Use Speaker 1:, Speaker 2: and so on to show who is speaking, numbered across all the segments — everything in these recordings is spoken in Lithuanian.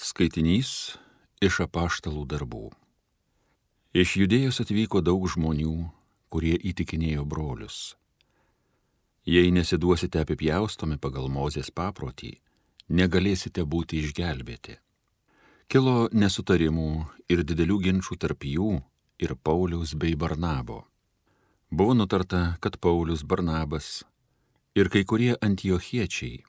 Speaker 1: Skaitinys iš apaštalų darbų. Iš Judėjos atvyko daug žmonių, kurie įtikinėjo brolius. Jei nesiduosite apipjaustomi pagal Mozės paprotį, negalėsite būti išgelbėti. Kilo nesutarimų ir didelių ginčų tarp jų ir Pauliaus bei Barnabo. Buvo nutarta, kad Paulius, Barnabas ir kai kurie antiochiečiai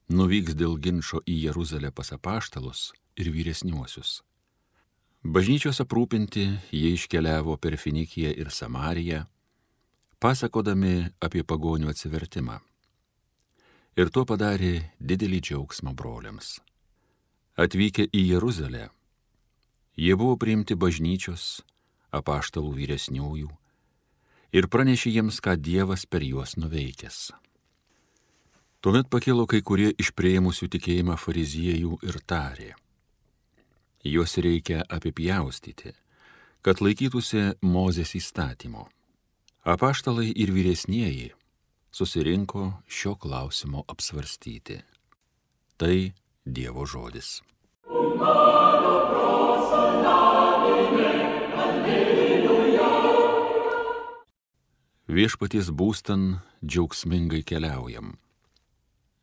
Speaker 1: nuvyks dėl ginčo į Jeruzalę pas apaštalus ir vyresniuosius. Bažnyčios aprūpinti jie iškeliavo per Finikiją ir Samariją, pasakodami apie pagonių atsivertimą. Ir tuo padarė didelį džiaugsmą broliams. Atvykę į Jeruzalę, jie buvo priimti bažnyčios, apaštalų vyresniųjų ir pranešė jiems, ką Dievas per juos nuveikęs. Tuomet pakilo kai kurie iš priėmusių tikėjimą fariziejų ir tarė: juos reikia apipjaustyti, kad laikytųsi Mozės įstatymo. Apaštalai ir vyresnieji susirinko šio klausimo apsvarstyti. Tai Dievo žodis. Viešpaties būstan džiaugsmingai keliaujam.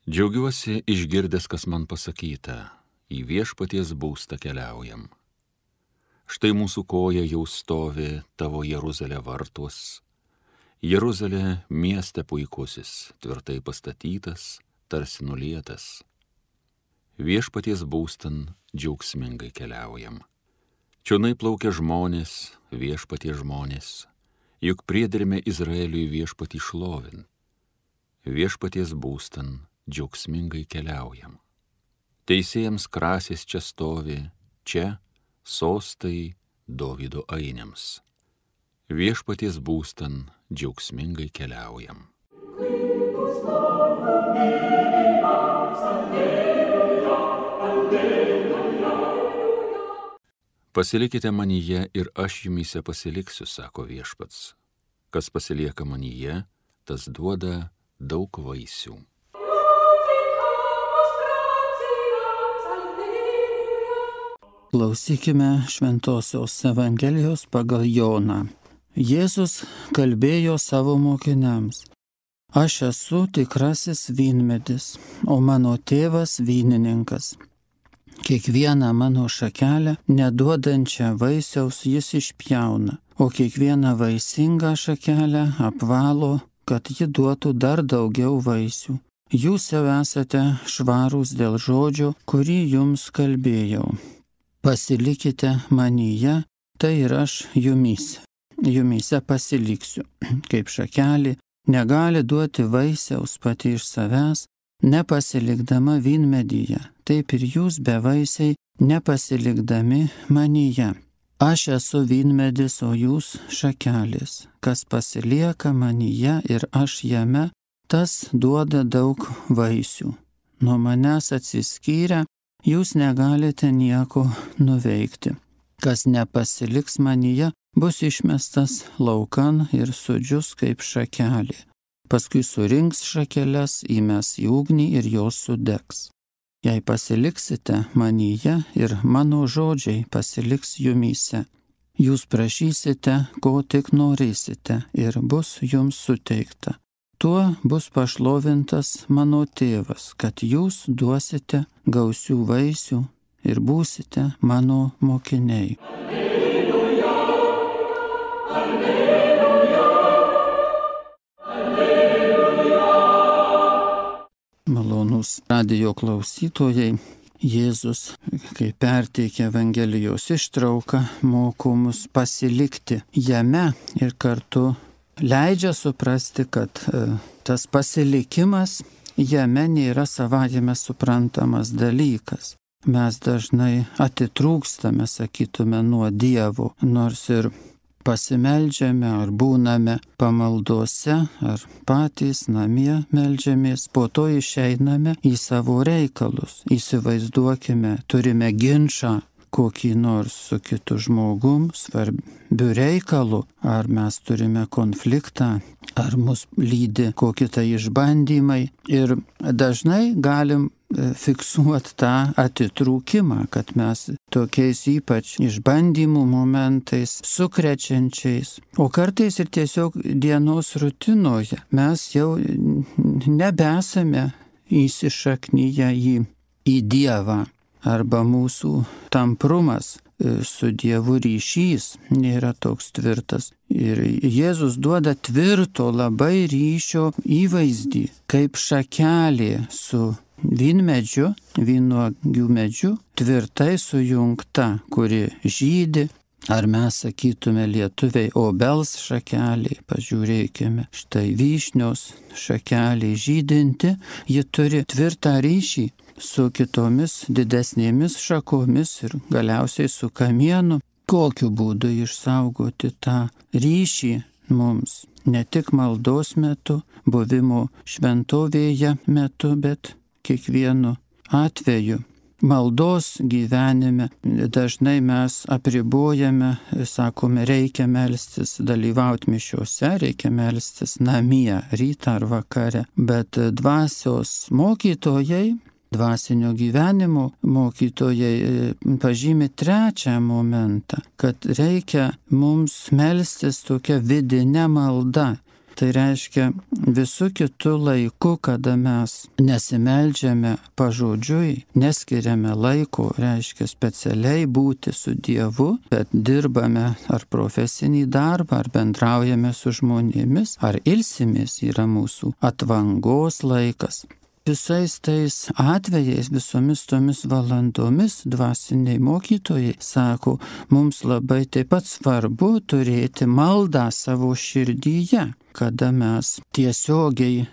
Speaker 1: Džiaugiuosi išgirdęs, kas man pasakyta, į viešpaties būstą keliaujam. Štai mūsų koja jau stovi tavo Jeruzalė vartuos. Jeruzalė mieste puikusis, tvirtai pastatytas, tarsi nulietas. Viešpaties būstan džiaugsmingai keliaujam. Čionai plaukia žmonės, viešpaties žmonės, juk priederme Izraeliui viešpatį šlovin. Viešpaties būstan džiaugsmingai keliaujam. Teisėjams krasės čia stovi, čia sostai Dovydo ainiams. Viešpaties būstan džiaugsmingai keliaujam. Pasilikite manyje ir aš jumyse pasiliksiu, sako viešpats. Kas pasilieka manyje, tas duoda daug vaisių.
Speaker 2: Klausykime Šventosios Evangelijos pagal Joną. Jėzus kalbėjo savo mokiniams: aš esu tikrasis vynmedis, o mano tėvas vynininkas. Kiekvieną mano šakelę, neduodančią vaisiaus, jis išpjauna, o kiekvieną vaisingą šakelę apvalo, kad ji duotų dar daugiau vaisių. Jūs jau esate švarūs dėl žodžio, kurį jums kalbėjau. Pasilikite manyje, tai ir aš jumyse. Jumyse pasiliksiu, kaip šakelė negali duoti vaisiaus pati iš savęs, nepasilikdama vynmedyje, taip ir jūs bevaisiai nepasilikdami manyje. Aš esu vynmedis, o jūs šakelės. Kas pasilieka manyje ir aš jame, tas duoda daug vaisių. Nuo manęs atsiskyrę, jūs negalite nieko nuveikti. Kas nepasiliks manyje, bus išmestas laukan ir sudžius kaip šakelė. Paskui surinks šakeles, įmes į ugnį ir jos sudegs. Jei pasiliksite manyje ir mano žodžiai pasiliks jumyse, jūs prašysite, ko tik norėsite, ir bus jums suteikta. Tuo bus pašlovintas mano tėvas, kad jūs duosite gausių vaisių ir būsite mano mokiniai. Alleluja, alleluja, alleluja. Malonūs radijo klausytojai, Jėzus, kai perteikia Evangelijos ištrauką, moko mus pasilikti jame ir kartu leidžia suprasti, kad tas pasilikimas jame nėra savaime suprantamas dalykas. Mes dažnai atitrūkstame, sakytume, nuo Dievo, nors ir pasimeldžiame ar būname pamaldose, ar patys namie meldžiamės, po to išeiname į savo reikalus. Įsivaizduokime, turime ginčą kokį nors su kitu žmogum, svarbiu reikalu, ar mes turime konfliktą, ar mus lydi kokie tai išbandymai. Ir dažnai galim fiksuoti tą atitrūkimą, kad mes tokiais ypač išbandymų momentais, sukrečiančiais, o kartais ir tiesiog dienos rutinoje mes jau nebesame įsišaknyje į Dievą arba mūsų tamprumas su Dievu ryšys nėra toks tvirtas. Ir Jėzus duoda tvirto labai ryšio įvaizdį, kaip šakelė su vynmedžiu, vynuogių medžiu, tvirtai sujungta, kuri žydi. Ar mes sakytume lietuviai obels šakeliai, pažiūrėkime, štai vyšnios šakeliai žydinti, ji turi tvirtą ryšį su kitomis didesnėmis šakomis ir galiausiai su kamienu. Kokiu būdu išsaugoti tą ryšį mums, ne tik maldos metu, buvimo šventovėje metu, bet kiekvienu atveju. Maldos gyvenime dažnai mes apribojame, sakome, reikia melstis, dalyvauti mišiuose, reikia melstis namie, rytą ar vakare, bet dvasios mokytojai, dvasinio gyvenimo mokytojai pažymi trečią momentą, kad reikia mums melstis tokia vidinė malda. Tai reiškia visų kitų laikų, kada mes nesimeldžiame pažodžiui, neskiriame laiko, reiškia specialiai būti su Dievu, bet dirbame ar profesinį darbą, ar bendraujame su žmonėmis, ar ilsimės yra mūsų atvangos laikas. Visais tais atvejais, visomis tomis valandomis dvasiniai mokytojai sako, mums labai taip pat svarbu turėti maldą savo širdyje, kada mes tiesiogiai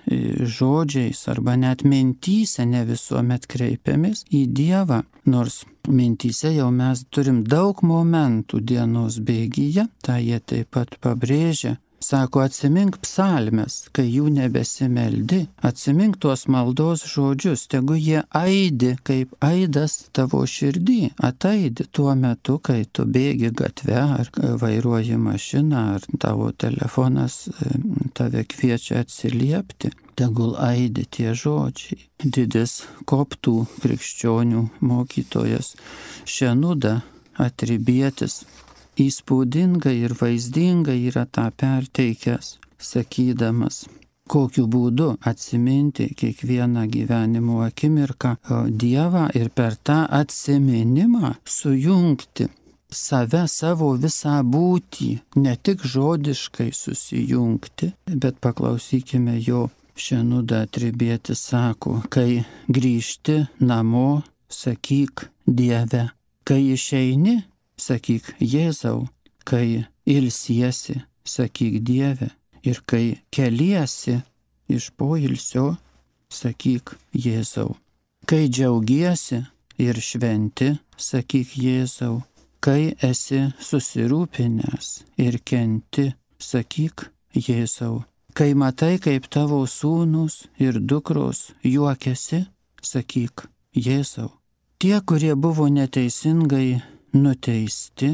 Speaker 2: žodžiais arba net mintyse ne visuomet kreipiamės į Dievą, nors mintyse jau mes turim daug momentų dienos bėgyje, tą jie taip pat pabrėžia. Sako, atsimink psalmes, kai jų nebesimeldi, atsimink tuos maldos žodžius, tegu jie aidi, kaip aidas tavo širdį, ataidi tuo metu, kai tu bėgi gatve, ar vairuoji mašiną, ar tavo telefonas tave kviečia atsiliepti. Tegul aidi tie žodžiai. Didis koptų krikščionių mokytojas Šenuda Atribietis įspūdingai ir vaizdingai yra tą perteikęs, sakydamas, kokiu būdu atsiminti kiekvieną gyvenimo akimirką Dievą ir per tą atsiminimą sujungti save, savo visą būtį, ne tik žodiškai susijungti, bet paklausykime jo. Šenuda Atribietis sako, kai grįžti namo, sakyk Dieve, kai išeini, sakyk Jėzau, kai ilsiesi, sakyk Dieve, ir kai keliesi iš poilsio, sakyk Jėzau. Kai džiaugiesi ir šventi, sakyk Jėzau. Kai esi susirūpinęs ir kenti, sakyk Jėzau. Kai matai, kaip tavo sūnus ir dukros juokiasi, sakyk Jėzau. Tie, kurie buvo neteisingai nuteisti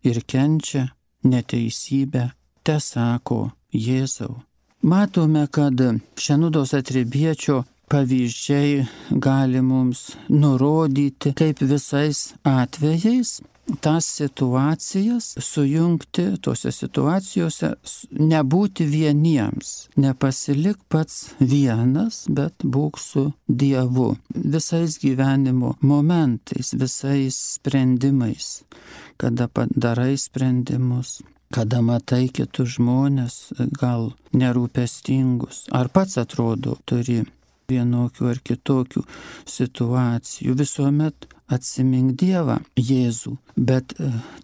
Speaker 2: ir kenčia neteisybę, te sako Jėzau. Matome, kad Šenudos Atribiečio pavyzdžiai gali mums nurodyti, kaip visais atvejais tas situacijas sujungti, tose situacijose nebūti vieniems, nepasilik pats vienas, bet būk su Dievu. Visais gyvenimo momentais, visais sprendimais, kada padarai sprendimus, kada matai kitus žmonės, gal nerūpestingus, ar pats atrodo turi vienokių ar kitokių situacijų, visuomet atsimink Dievą, Jėzų. Bet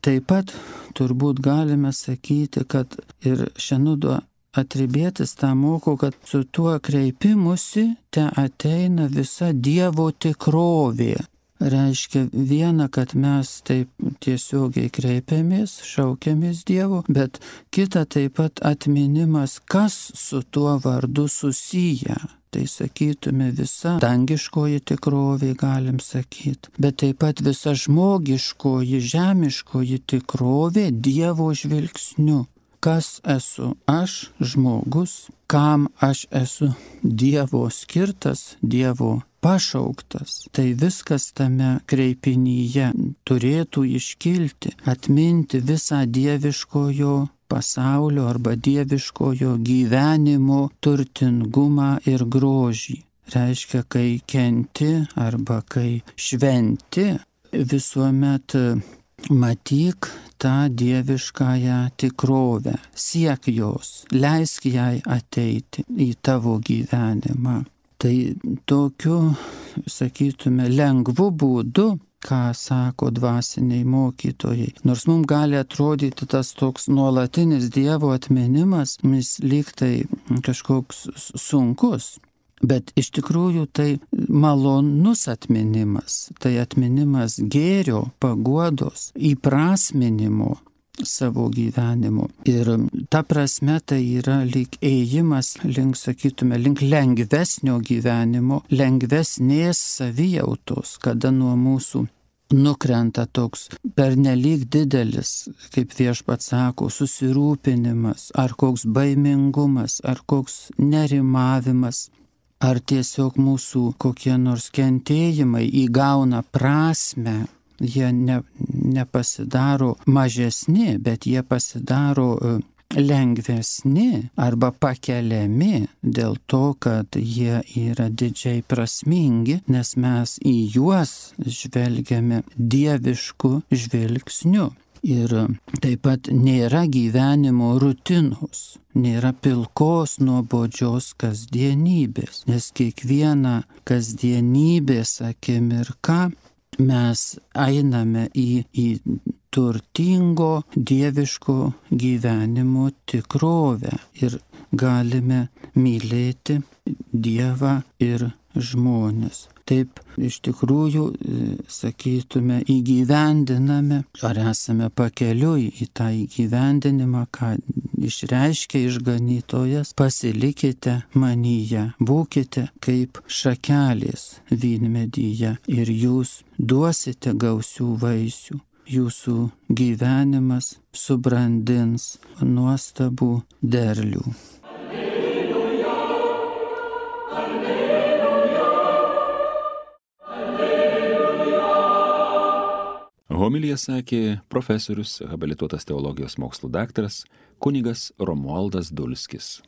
Speaker 2: taip pat turbūt galime sakyti, kad ir Šenudo Atribietis tą moko, kad su tuo kreipimusi te ateina visa Dievo tikrovė. Reiškia viena, kad mes taip tiesiogiai kreipiamės, šaukiamės Dievo, bet kita taip pat atminimas, kas su tuo vardu susiję. Tai sakytume visa dangiškoji tikrovė, galim sakyti, bet taip pat visa žmogiškoji, žemiškoji tikrovė Dievo žvilgsniu. Kas esu aš, žmogus, kam aš esu Dievo skirtas, Dievo pašauktas. Tai viskas tame kreipinyje turėtų iškilti, atminti visą dieviškojo pasaulio arba dieviškojo gyvenimo turtingumą ir grožį. Reiškia, kai kenti arba kai šventi, visuomet matyk tą dieviškąją tikrovę, siek jos, leisk jai ateiti į tavo gyvenimą. Tai tokiu, sakytume, lengvu būdu, ką sako dvasiniai mokytojai. Nors mums gali atrodyti tas toks nuolatinis Dievo atminimas, jis lyg tai kažkoks sunkus. Bet iš tikrųjų tai malonus atminimas, tai atminimas gėrio, paguodos, įprasminimo savo gyvenimo. Ir ta prasme tai yra lyg ėjimas link, sakytume, link lengvesnio gyvenimo, lengvesnės savijautos, kada nuo mūsų nukrenta toks pernelyg didelis, kaip Viešpats sako, susirūpinimas, ar koks baimingumas, ar koks nerimavimas. Ar tiesiog mūsų kokie nors kentėjimai įgauna prasmę, jie nepasidaro mažesni, bet jie pasidaro lengvesni arba pakeliami dėl to, kad jie yra didžiai prasmingi, nes mes į juos žvelgiame dievišku žvilgsniu. Ir taip pat nėra gyvenimo rutinos, nėra pilkos nuobodžios kasdienybės, nes kiekvieną kasdienybės akimirką mes einame į turtingo dieviško gyvenimo tikrovę ir galime mylėti Dievą ir žmonės. Taip iš tikrųjų, sakytume, įgyvendiname, ar esame pakeliui į tą įgyvendinimą, ką išreiškia išganytojas, pasilikite manyje, būkite kaip šakelės vynmedyje ir jūs duosite gausių vaisių. Jūsų gyvenimas subrandins nuostabų derlių.
Speaker 1: Homiliją sakė profesorius, habilituotas teologijos mokslų daktaras kunigas Romualdas Dulskis.